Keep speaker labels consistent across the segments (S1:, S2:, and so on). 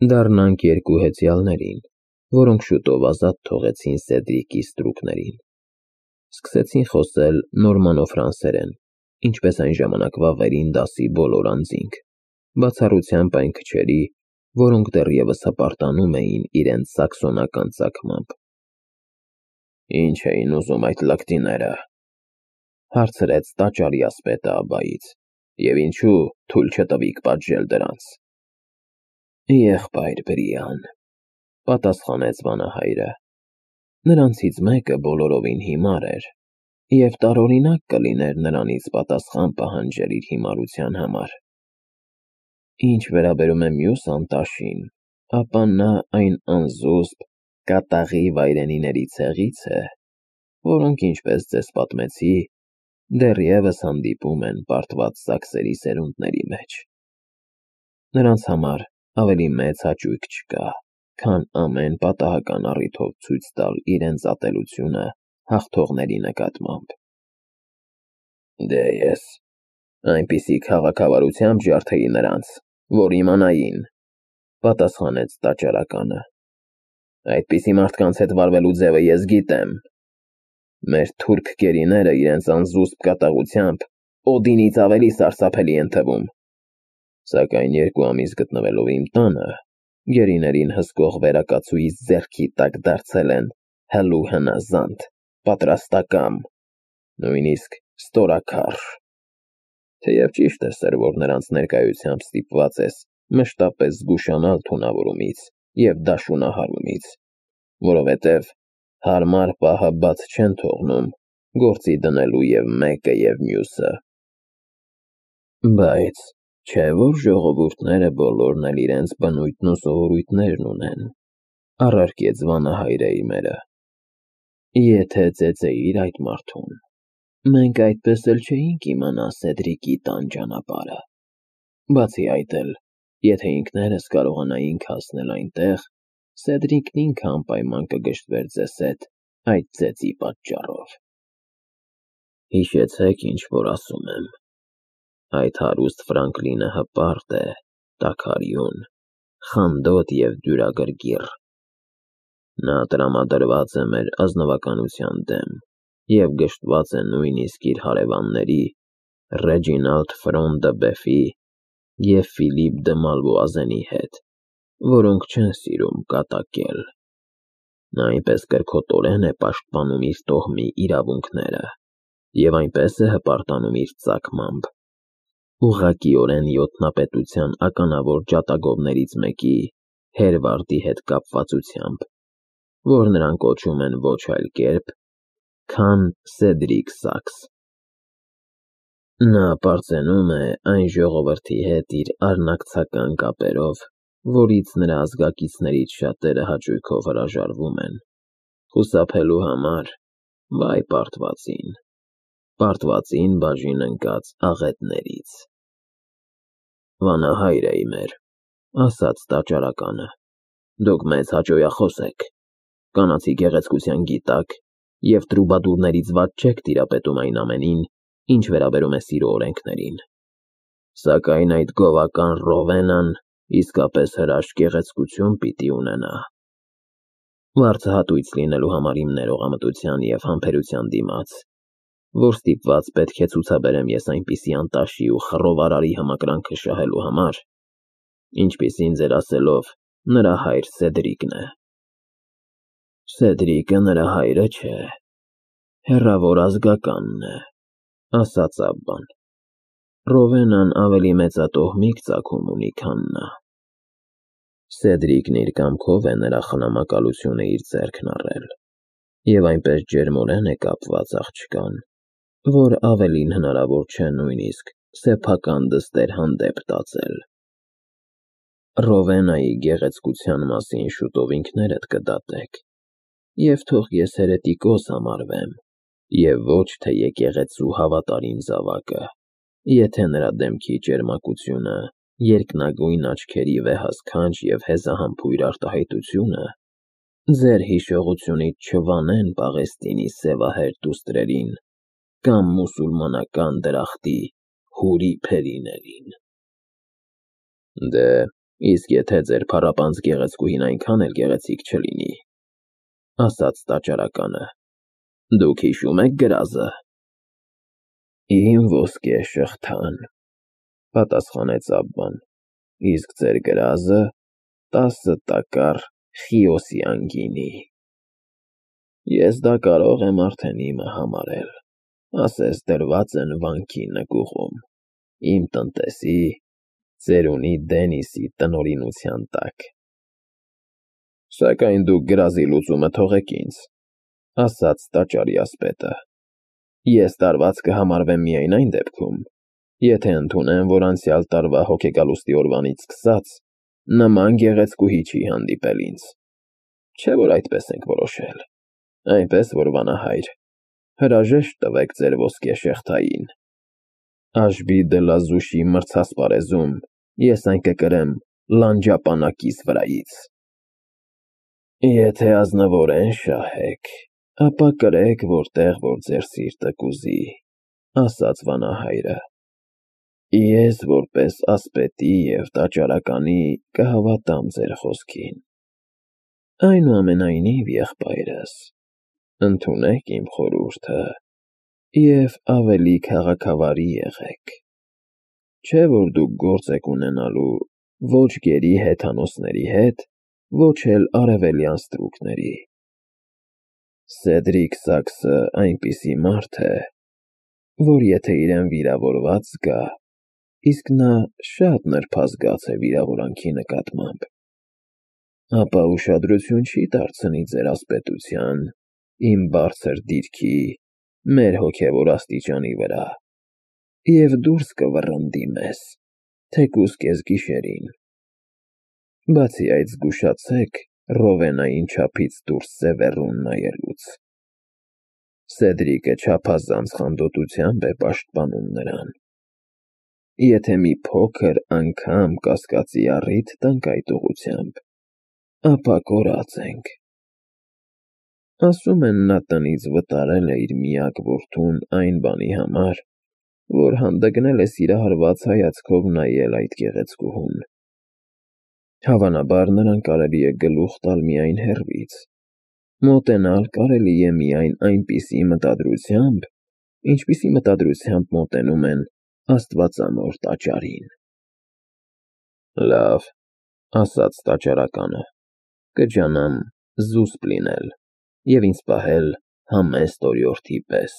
S1: Դառնանք երկու հեծյալներին, որոնք շուտով ազատ թողեցին Սեդրիկի ստրուկներին։ Սկսեցին խոսել նորմանո-ֆրանսերեն, ինչպես այն ժամանակվա վերին դասի բոլոր անձինք, բացառությամբ այն քչերի, որոնք դեռևս հպարտանում էին իրենց սաքսոնական ծագմամբ։ Ինչ էին ուզում այդ լկտիները, հարցրեց տաճարի ասպետը աբբայից, և ինչու թույլ չտվիք պատժել դրանց։ Եղբայր Բրիան, պատասխանեց վանահայրը, նրանցից մեկը բոլորովին հիմար էր, և տարօրինակ կլիներ նրանից պատասխան պահանջել իր հիմարության համար։ Ինչ վերաբերում է մյուս անտաշին, ապա նա այն անզուսպ կատաղի վայրենիների ցեղից է, որոնք, ինչպես ձեզ պատմեցի, դեռևս հանդիպում են պարտված սաքսերի սերունդների մեջ։ Նրանց համար ավելի մեծ հաճույք չկա, քան ամեն պատահական առիթով ցույց տալ իրենց ատելությունը հաղթողների նկատմամբ։ Դե ես այնպիսի քաղաքավարությամբ ջարդեի նրանց, որ իմանային, պատասխանեց տաճարականը։ Այդպիսի մարդկանց հետ վարվելու ձևը ես գիտեմ։ Մեր թուրք գերիները իրենց անզուսպ կատաղությամբ Օդինից ավելի սարսափելի են թվում։ Սակայն 2 ամիս գտնվելով իմ տանը, գերիներին հսկող վերակացուիս ձեռքի տակ դարձել են հլու հնազանդ, պատրաստակամ, նույնիսկ ստորաքարշ։ Թեև ճիշտ է, սեր, որ նրանց ներկայությամբ ստիպված ես մշտապես զգուշանալ թունավորումից և դաշունահարումից, որովհետև հարմար պահը բաց չեն թողնում գործի դնելու և մեկը և մյուսը։ Բայց չէ՞ որ ժողովուրդները բոլորն էլ իրենց բնույթն ու սովորույթներն ունեն, առարկեց վանահայրը իմերը։ Եթե ծեծեիր այդ մարդուն, մենք այդպես էլ չէինք իմանա Սեդրիկի տան ճանապարհը։ Բացի այդ էլ, եթե ինքներս կարողանայինք հասնել այնտեղ, Սեդրիկն ինքը անպայման կգժտվեր ձեզ հետ այդ ծեծի պատճառով։ Հիշեցեք, ինչ որ ասում եմ, այդ հարուստ Ֆրանկլինը հպարտ է, տաքարյուն, խանդոտ և դյուրագրգիռ։ Նա տրամադրված է մեր ազնվականության դեմ և գժտված է նույնիսկ իր հարևանների Ռեջինալդ Ֆրոն դը Բեֆի և Ֆիլիպ դը Մալվոազենի հետ, որոնք չեն սիրում կատակել։ Նա այնպես կրքոտորեն է պաշտպանում իր տոհմի իրավունքները և այնպես է հպարտանում իր ծագմամբ, ուղղակիորեն ոտնապետության ականավոր ջատագովներից մեկի Հերվարդի հետ կապվածությամբ, որ նրան կոչում են ոչ այլ կերպ, քան Սեդրիկ Սաքս։ Նա պարծենում է այն ժողովրդի հետ իր արնակցական կապերով, որից նրա ազգակիցներից շատերը հաճույքով հրաժարվում են, խուսափելու համար, վայ պարտվածին բաժին ընկած աղետներից։ Վանահայր է իմեր, ասաց տաճարականը, դուք մեծ հաճոյախոս եք, կանացի գեղեցկության գիտակ և տրուբադուրներից վատ չեք տիրապետում այն ամենին, ինչ վերաբերում է սիրո օրենքներին։ Սակայն այդ գովական Ռովենան իսկապես հրաշք գեղեցկություն պիտի ունենա։ Վարձահատույց լինելու համար իմ ներողամտության և համբերության դիմաց, որ ստիպված պետք է ցուցաբերեմ ես այնպիսի անտաշի ու խռով արարի համակրանքը շահելու համար, ինչպիսին ձեր ասելով նրա հայր Սեդրիկն է։ Սեդրիկը նրա հայրը չէ, հեռավոր ազգականն է, ասաց Աբբան։ Ռովենան ավելի մեծատոհմիկ ծագում ունի, քան նա։ Սեդրիկն իր կամքով է նրա խնամակալությունը իր ձեռքն առել և այնպես ջերմորեն է կապված աղջկան, որ ավելին հնարավոր չէ նույնիսկ սեփական դստեր հանդեպ տածել։ Ռովենայի գեղեցկության մասին շուտով ինքներդ կդատեք, և թող ես հերետիկոս համարվեմ, և ոչ թե եկեղեցու հավատարիմ զավակը, եթե նրա դեմքի ճերմակությունը, երկնագույն աչքերի վեհասքանչ և հեզահամբույր արտահայտությունը ձեր հիշողությունից չվանեն Պաղեստինի սևահեր դուստրերին կամ մուսուլմանական դրախտի հուրի փերիներին։ Դե, Իսկ եթե ձեր փառապանծ գեղեցկուհին այնքան էլ գեղեցիկ չլինի, ասաց տաճարականը, դուք հիշում եք գրազը։ Իմ ոսկե շղթան, պատասխանեց Աբբան, իսկ ձեր գրազը 10 տակառ խիոսյան գինի։ Ես դա կարող եմ արդեն իմը համարել, ասես դրված են վանքի նկուղում, իմ տնտեսի, ծերունի Դենիսի տնօրինության տակ։ Սակայն դուք գրազի լուծումը թողեք ինձ, ասաց տաճարի ասպետը։ Ես տարված կհամարվեմ միայն այն դեպքում, եթե ընդունեմ, որ անցյալ տարվա հոգեգալուստի օրվանից սկսած նման գեղեցկուհի չի հանդիպել ինձ։ Չէ՞ որ այդպես ենք որոշել, այնպես որ վանահայր, հրաժեշտ տվեք ձեր ոսկե շղթային։ Աշբի դլազուշի մրցասպարեզում ես այն կկրեմ լանջապանակիս վրայից։ Եթե ազնվորեն շահեք, ապա կրեք որտեղ, որ ձեր սիրտը կուզի, ասաց վանահայրը։ Ես որպես ասպետի և տաճարականի կհավատամ ձեր խոսքին։ Այնուամենայնիվ, եղբայրս, ընդունեք իմ խորհուրդը և ավելի քաղաքավարի եղեք։ Չէ՞ որ դուք գործ եք ունենալու ոչ գերի հեթանոսների հետ, ոչ էլ արևելյան ստրուկների։ Սեդրիկ Սաքսը այնպիսի մարդ է, որ եթե իրեն վիրավորված զգա, իսկ նա շատ նրբազգաց է վիրավորանքի նկատմամբ, ապա ուշադրություն չի դարձնի ձեր ասպետության, իմ բարձր դիրքի, մեր հոգևոր աստիճանի վրա, և դուրս կվռնդի մեզ, թեկուզ կեսգիշերին։ Բացի այդ, զգուշացեք Ռովենային չափից դուրս սևեռուն նայելուց։ Սեդրիկը չափազանց խանդոտությամբ է պաշտպանում նրան։ Եթե մի փոքր անգամ կասկածի առիթ տանք այդ ուղղությամբ, ապա կորած ենք։ Ասում են, նա տնից վտարել է իր միակ որդուն այն բանի համար, որ հանդգնել է սիրահարված հայացքով նայել այդ գեղեցկուհուն։ Հավանաբար նրան կարելի է գլուխ տալ միայն հեռվից, մոտենալ կարելի է միայն այնպիսի մտադրությամբ, ինչպիսի մտադրությամբ մոտենում են Աստվածամոր տաճարին։ Լավ, ասաց տաճարականը, կջանամ զուսպ լինել և ինձ պահել համեստ օրիորդի պես։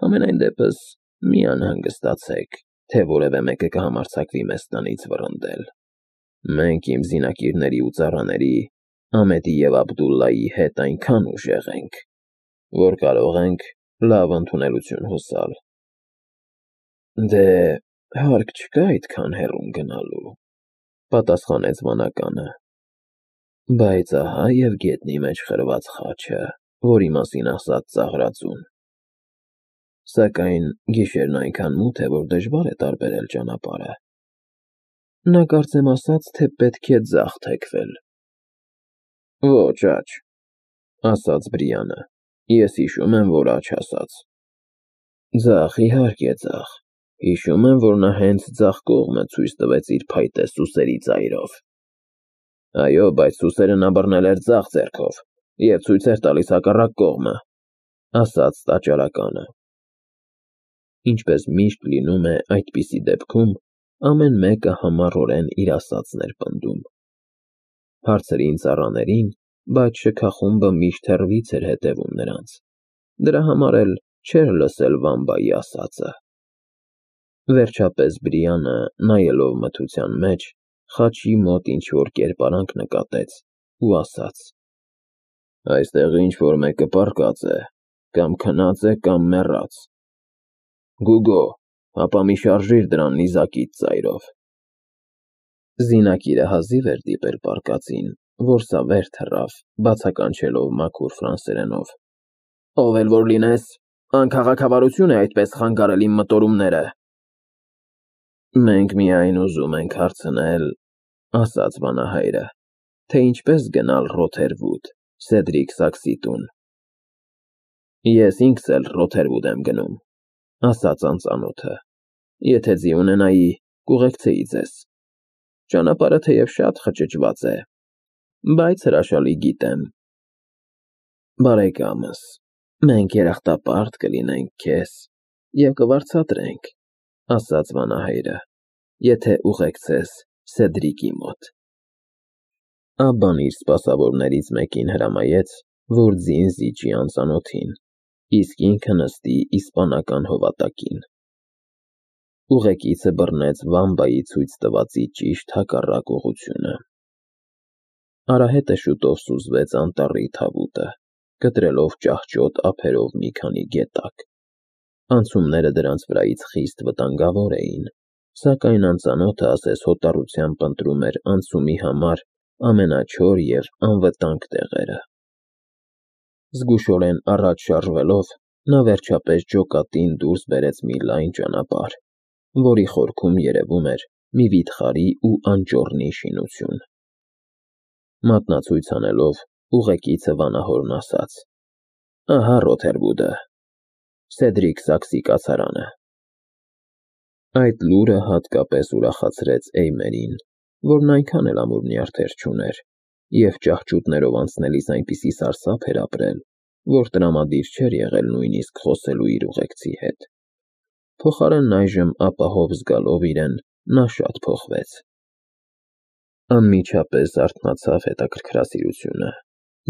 S1: Համենայն դեպս մի անհանգստացեք, թե որևէ մեկը կհամարձակվի մեզ տնից վռնդել։ Մենք իմ զինակիրների ու ծառաների, Ամետի և Աբդուլլայի հետ այնքան ուժեղ ենք, որ կարող ենք լավ ընդունելություն հուսալ։ Դե, հարկ չկա այդքան հեռուն գնալու, պատասխանեց վանականը։ Բայց ահա և գետնի մեջ խրված խաչը, որի մասին ասաց ծաղրածուն։ Սակայն գիշերն այնքան մութ է, որ դժվար է տարբերել ճանապարհը։ Նա կարծեմ ասաց, թե պետք է ձախ թեքվել։ Ոչ աջ, ասաց Բրիանը, ես հիշում եմ, որ աջ ասաց։ Ձախ, իհարկե ձախ, հիշում եմ, որ նա հենց ձախ կողմը ցույց տվեց իր փայտե սուսերի ծայրով։ Այո, բայց սուսերը նա բռնել էր ձախ ձեռքով և ցույց էր տալիս հակառակ կողմը, ասաց տաճարականը։ Ինչպես միշտ լինում է այդպիսի դեպքում, ամեն մեկը համառորեն իր ասածն էր պնդում։ Հարցրին ծառաներին, բայց շքախումբը միշտ հեռվից էր հետևում նրանց։ Դրա համար էլ չէր լսել Վամբայի ասածը։ Վերջապես Բրիանը, նայելով մթության մեջ, խաչի մոտ ինչ-որ կերպարանք նկատեց ու ասաց. Այստեղ ինչ-որ մեկը պառկած է, կամ քնած է, կամ մեռած։ Գուգո, հապա մի շարժիր դրան նիզակիդ ծայրով։ Զինակիրը հազիվ էր դիպել պառկածին, որ սա վեր թռավ, բացականչելով մաքուր ֆրանսերենով. Ով էլ որ լինես, անքաղաքավարություն է այդպես խանգարել իմ մտորումները։ Մենք միայն ուզում ենք հարցնել, ասաց վանահայրը, թե ինչպես գնալ Ռոթերվուդ, Սեդրիկ Սաքսի տուն։ Ես ինքս էլ Ռոթերվուդ եմ գնում, ասաց անծանոթը, եթե ձի ունենայի, կուղեկցեի ձեզ։ Ճանապարհը թեև շատ խճճված է, բայց հրաշալի գիտեմ։ Բարեկամս, մենք երախտապարտ կլինենք քեզ և կվարձատրենք, ասաց վանահայրը, եթե ուղեկցես Սեդրիկի մոտ։ Աբբան իր սպասավորներից մեկին հրամայեց, որ ձին զիջի անծանոթին, իսկ ինքը նստի իսպանական հովատակին։ Ուղեկիցը բռնեց Վամբայի ցույց տվածի ճիշտ հակառակ ուղղությունը։ Արահետը շուտով սուզվեց անտառի թավուտը, կտրելով ճահճոտ ափերով մի քանի գետակ։ Անցումները դրանց վրայից խիստ վտանգավոր էին, սակայն անծանոթը ասես հոտառությամբ ընտրում էր անցումի համար ամենաչոր և անվտանգ տեղերը։ Զգուշորեն առաջ շարժվելով, նա վերջապես ջոկատին դուրս բերեց մի լայն ճանապարհ, որի խորքում երևում էր մի վիթխարի ու անճոռնի շինություն։ Մատնացույց անելով, ուղեկիցը վանահորն ասաց. «Ահա Ռոթերվուդը, Սեդրիկ Սաքսի կացարանը»։ Այդ լուրը հատկապես ուրախացրեց Էյմերին, որն այնքան էլ ամուր նյարդեր չուներ, և ճահճուտներով անցնելիս այնպիսի սարսափ էր ապրել, որ տրամադիր չէր եղել նույնիսկ խոսելու իր ուղեկցի հետ։ Փոխարենն այժմ ապահով զգալով իրեն, նա շատ փոխվեց։ Անմիջապես արթնացավ հետաքրքրասիրությունը,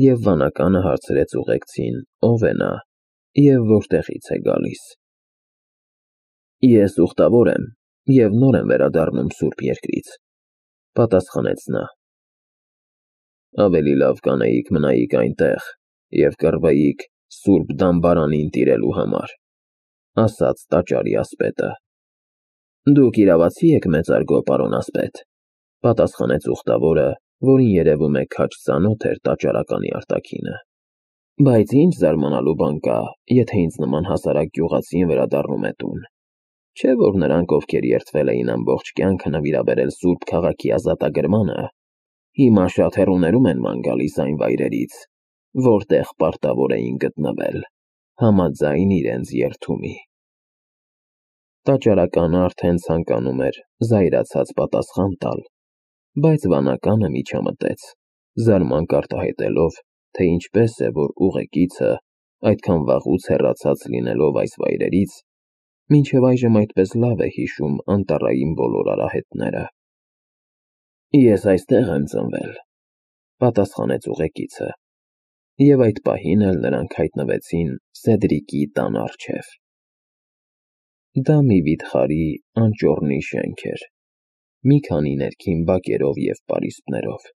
S1: և վանականը հարցրեց ուղեկցին ով է նա և որտեղից է գալիս։ «Ես ուխտավոր եմ և նոր եմ վերադառնում Սուրբ Երկրից», պատասխանեց նա։ «Ավելի լավ կանեիք մնայիք այնտեղ և կռվեիք Սուրբ Դամբարանին տիրելու համար», ասաց տաճարի ասպետը։ «Դուք իրավացի եք, մեծարգո պարոն ասպետ», պատասխանեց ուխտավորը, որին երևում է քաջ ծանոթ էր տաճարականի արտաքինը։ «Բայց ինչ զարմանալու բան կա, եթե ինձ նման հասարակ գյուղացին վերադառնում է տուն։ Չէ՞ որ նրանք, ովքեր երդվել էին ամբողջ կյանքը նվիրաբերել Սուրբ Քաղաքի ազատագրմանը, հիմա շատ հեռուներում են ման գալիս այն վայրերից, որտեղ պարտավոր էին գտնվել, համաձայն իրենց երդումի»։ Տաճարականը արդեն ցանկանում էր զայրացած պատասխան տալ, բայց վանականը միջամտեց, զարմանք արտահայտելով, թե ինչպես է, որ ուղեկիցը, այդքան վաղուց հեռացած լինելով այս վայրերից, մինչև այժմ այդպես լավ է հիշում անտառային բոլոր արահետները։ «Ես այստեղ եմ ծնվել», պատասխանեց ուղեկիցը, և այդ պահին էլ նրանք հայտնվեցին Սեդրիկի տան առջև։ Դա մի վիթխարի անճոռնի շենք էր, մի քանի ներքին բակերով և պարիսպներով։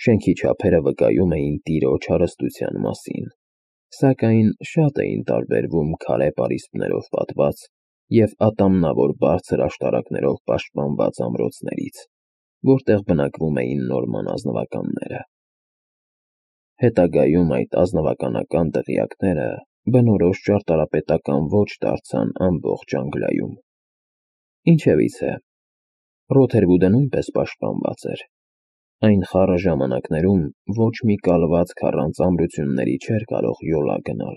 S1: Շենքի չափերը վկայում էին տիրոջ հարստության մասին, սակայն շատ էին տարբերվում քարե պարիսպներով պատված և ատամնավոր բարձր աշտարակներով պաշտպանված ամրոցներից, որտեղ բնակվում էին նորման ազնվականները։ Հետագայում այդ ազնվականական դղյակները բնորոշ ճարտարապետական ոճ դարձան ամբողջ Անգլիայում։ Ինչևիցե, Ռոթերվուդը նույնպես պաշտպանված էր։ Այն խառը ժամանակներում ոչ մի կալվածք առանց ամրությունների չէր կարող յոլա գնալ։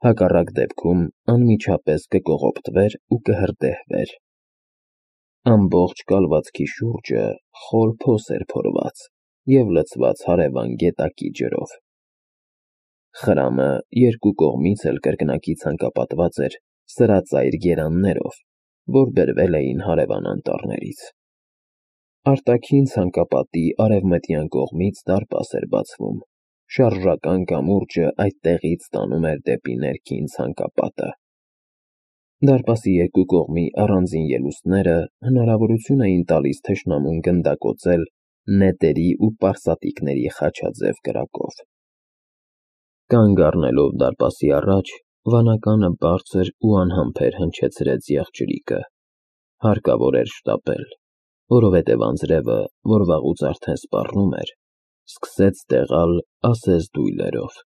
S1: Հակառակ դեպքում անմիջապես կկողոպտվեր ու կհրդեհվեր։ Ամբողջ կալվածքի շուրջը խոր փոս էր փորված և լցված հարևան գետակի ջրով։ Խրամը երկու կողմից էլ կրկնակի ցանկապատված էր սրածայր գերաններով, որ բերվել էին հարևան անտառներից։ Արտաքին ցանկապատի արևմտյան կողմից դարպաս էր բացվում, շարժական կամուրջը այդտեղից տանում էր դեպի ներքին ցանկապատը։ Դարպասի երկու կողմի առանձին ելուստները հնարավորություն էին տալիս թշնամուն գնդակոծել նետերի ու պարսատիկների խաչաձև կրակով։ Կանգ առնելով դարպասի առաջ, վանականը բարձր ու անհամբեր հնչեցրեց եղջյուրիկը։ Հարկավոր էր շտապել, որովհետև անձրևը, որ վաղուց արդեն սպառնում էր, սկսեց տեղալ ասես դույլերով։